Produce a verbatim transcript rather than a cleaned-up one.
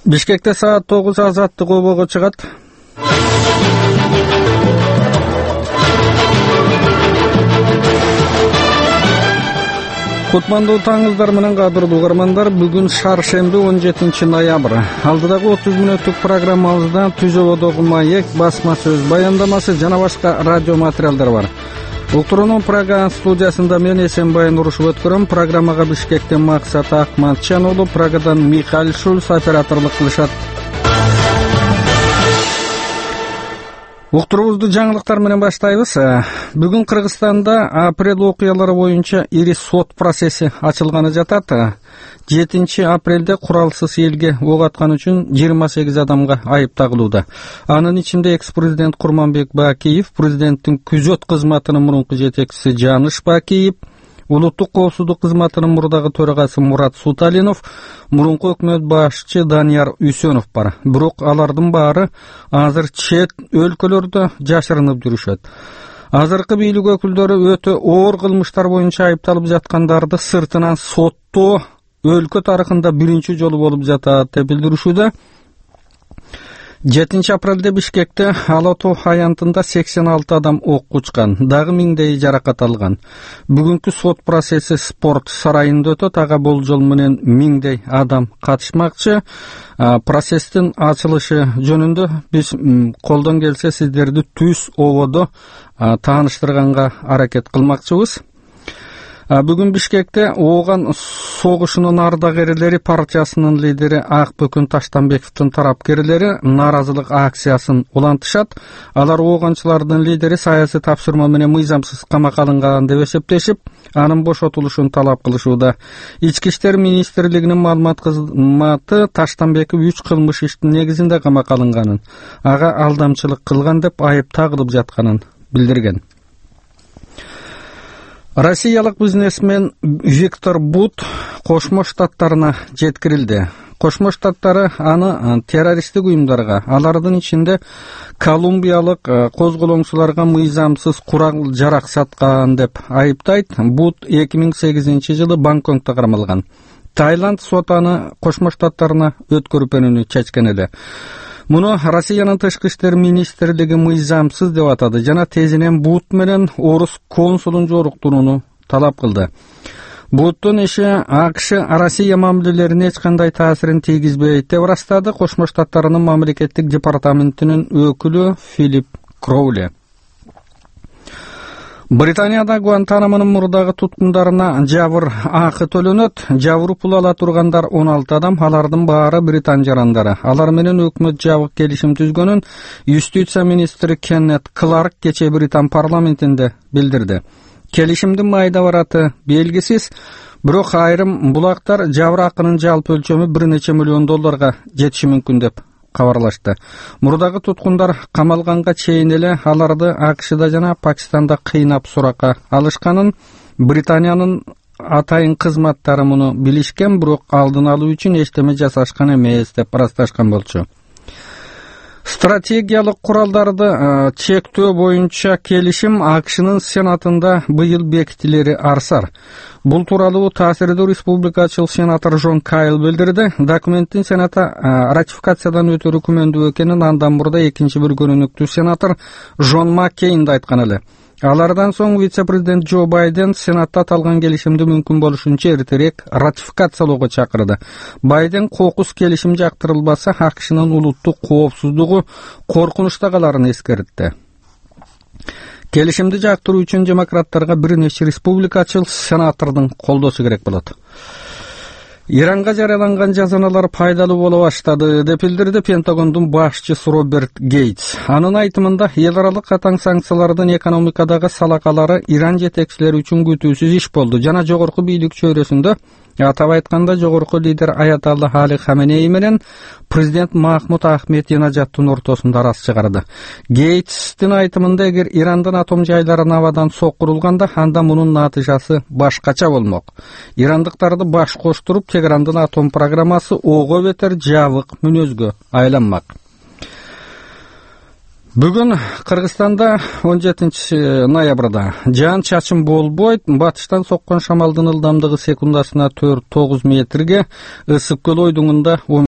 Бишкекте саат тогуз азаттык обого чыгат. Кутмандуу таңыңыздар менен кадырлуу угармандар, бүгүн шаршемби он жетинчи ноябрь. Алдыдагы отуз мүнөттүк программабызда Түз ободогу маек, басма сөз баяндамасы жана башка радио материалдар бар. Уктуруунун программа студиясында мен Эсенбай Нурушев өткөрөм. Программага Бишкектен Максат Акматчан уулу, Прагадан Михаил Шульц операторлук кылышат. Уктуруубузду жаңылыктар менен баштайбыз. Бүгүн Кыргызстанда апрель окуялары боюнча ири сот процесси ачылганы жатат. жетинчи апрелде куралсыз элге ок аткан үчүн жыйырма сегиз адамга айып тагылууда. Анын ичинде экс-президент Курманбек Бакиев, президенттин күзөт кызматынын мурунку жетекчиси Жаныш Бакиев, Улуттук коопсуздук кызматынын мурдагы төрагасы Мурат Суталинов, мурунку өкмөт башчы Данияр Үсөнов бар. Бирок алардын баары азыр чет өлкөлөрдө жашырынып жүрүшөт. Азыркы бийлик өкүлдөрү өтө оор кылмыштар боюнча айыпталып жаткандарды сыртынан соттоо өлкө тарыхында биринчи жолу болуп жатат деп билдиришүүдө. жетинчи апрелде Бишкекте Ала Тоо аянтында сексен алты адам ок учкан, дагы миңдей жаракат алган. Бүгүнкү сот процесси спорт сарайында өтөт. Ага болжол менен миңдей адам катышмакчы. Процесстин ачылышы жөнүндө биз колдон келсе сиздерди Түз ободо тааныштырганга аракет кылмакчыбыз. Бүгүн Бишкекте Ооган согушунун ардагерлери партиясынын лидери Акбөкүн Таштанбековдун тарапкерлери нааразылык акциясын улантышат. Алар ооганчылардын лидери саясий тапшырма менен мыйзамсыз камакка алынган деп эсептешип, анын бошотулушун талап кылышууда. Ички иштер министрлигинин маалымат кызматы Таштанбеков үч кылмыш иштин негизинде камакка алынганын, ага алдамчылык кылган деп айып тагылып жатканын билдирген. Россиялык бизнесмен Виктор Бут Кошмо Штаттарына жеткирилди. Кошмо Штаттары аны террористтик уюмдарга, алардын ичинде колумбиялык козголоңчуларга мыйзамсыз курал жарак саткан деп айыптайт. Бут эки миң сегизинчи жылы Бангкокто кармалган. Таиланд соту аны Кошмо Штаттарына өткөрүп берүүнү чечкен эле. Муну Россиянын тышкы иштер министрлиги мыйзамсыз деп атады жана тезинен Бут менен орус консулун жоруктурууну талап кылды. Буттун иши АКШ Россия мамилелерине эч кандай таасирин тийгизбейт деп ырастады Кошмо Штаттарынын мамлекеттик департаментинин өкүлү Филипп Кроули. Британияда Гуантанамонун мурдагы туткундарына жабыр акы төлөнөт. Жабыр пул ала тургандар он алты адам, алардын баары британ жарандары. Алар менен өкмөт жабык келишим түзгөнүн юстиция министри Кеннет Кларк кечээ Британ парламентинде билдирди. Келишимдин майда бараты белгисиз, бирок айрым булактар жабыр акынын жалпы өлчөмү бир нече миллион долларга жетиши мүмкүн деп кабарлашты. Мурдагы туткундар камалганга чейин эле аларды АКШда жана Пакистанда кыйнап суракка алышканын, Британиянын атайын кызматтары муну билишкен, бирок алдын алуу үчүн эчтеме жасашкан эмес деп ырасташкан болчу. Стратегиялык куралдарды чектөө боюнча келишим АКШнын Сенатында быйыл бекитилери арсар. Бул тууралуу таасирдүү республикачыл сенатор Жон Кайл билдирди. Документтин Сенатта ратификациядан өтөрү күмөндүү экенин андан мурда экинчи бир көрүнүктүү сенатор Жон Маккейн да айткан эле. Алардан соң вице-президент Джо Байден Сенатта аталган келишимди мүмкүн болушунча эртерээк ратификациялоого чакырды. Байден кокус келишим жактырылбаса АКШнын улуттук коопсуздугу коркунучта каларын эскертти. Келишимди жактыруу үчүн демократтарга бир нече республикачыл сенатордун колдоосу керек болот. Иранга жарыяланган жазаналар пайдалуу боло баштады деп билдирди Пентагондун башчысы Роберт Гейтс. Анын айтымында эл аралык катаң санкциялардын экономикадагы салакалары Иран жетекчилери үчүн күтүүсүз иш болду жана жогорку бийлик чөйрөсүндө, атап айтканда жогорку лидер Аятолла Али Хаменеи менен президент Махмуд Ахмединежаддын ортосунда араз чыгарды. Гейтстин айтымында эгер Ирандын атом жайларын абадан соккурулганда, анда мунун натыйжасы башкача болмок. Ирандыктарды баш коштуруп Тегерандын атом программасы ого бетер жабык мүнөзгө айланмак. Бүгүн Кыргызстанда он жетинчи ноябрда жаан чачын болбойт. Батыштан соккон шамалдын ылдамдыгы секундасына төрт тогуз метрге, ысык көл ойдуңунда